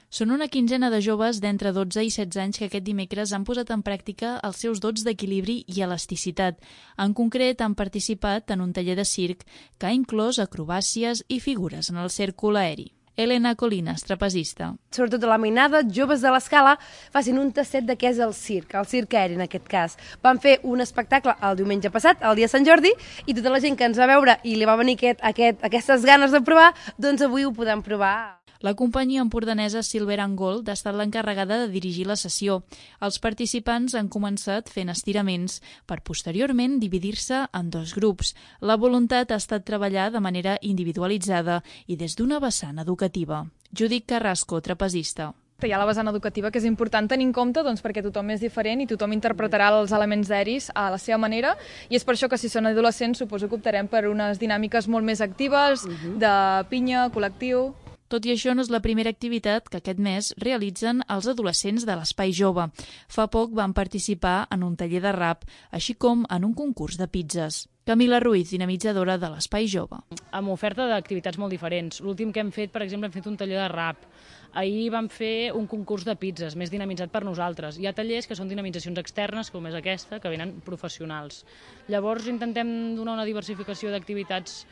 Són una quinzena de joves d'entre 12 i 16 anys que aquest dimecres han posat en pràctica els seus dots d'equilibri i elasticitat. En concret, han participat en un taller de circ que ha inclòs acrobàcies i figures en el cèrcol aeri. Elena Colinas, trapezista. Sobretot a la mainada, joves de l'Escala facin un tastet de què és el circ aeri en aquest cas. Van fer un espectacle el diumenge passat, el dia de Sant Jordi, i tota la gent que ens va veure i li va venir aquestes ganes de provar, doncs avui ho podem provar. La companyia empordanesa Silver and Gold ha estat l'encarregada de dirigir la sessió. Els participants han començat fent estiraments per posteriorment dividir-se en dos grups. La voluntat ha estat treballar de manera individualitzada i des d'una vessant educativa. Judit Carrasco, trapezista. Hi ha la vessant educativa, que és important tenir en compte perquè tothom és diferent i tothom interpretarà els elements aeris a la seva manera, i és per això que si són adolescents suposo que optarem per unes dinàmiques molt més actives, de pinya, col·lectiu. Tot i això, no és la primera activitat que aquest mes realitzen els adolescents de l'Espai Jove. Fa poc van participar en un taller de rap, així com en un concurs de pizzas. Camila Ruiz, dinamitzadora de l'Espai Jove. Amb oferta d'activitats molt diferents. L'últim que hem fet, per exemple, hem fet un taller de rap. Ahir vam fer un concurs de pizzas, més dinamitzat per nosaltres. Hi ha tallers que són dinamitzacions externes, com és aquesta, que venen professionals. Llavors intentem donar una diversificació d'activitats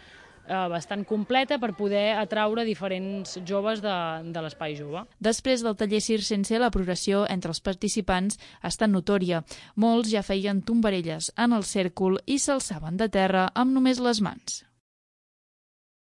bastant completa per poder atraure diferents joves de l'Espai Jove. Després del taller circense, la progressió entre els participants ha estat notòria. Molts ja feien tombarelles en el cèrcol i s'alçaven de terra amb només les mans.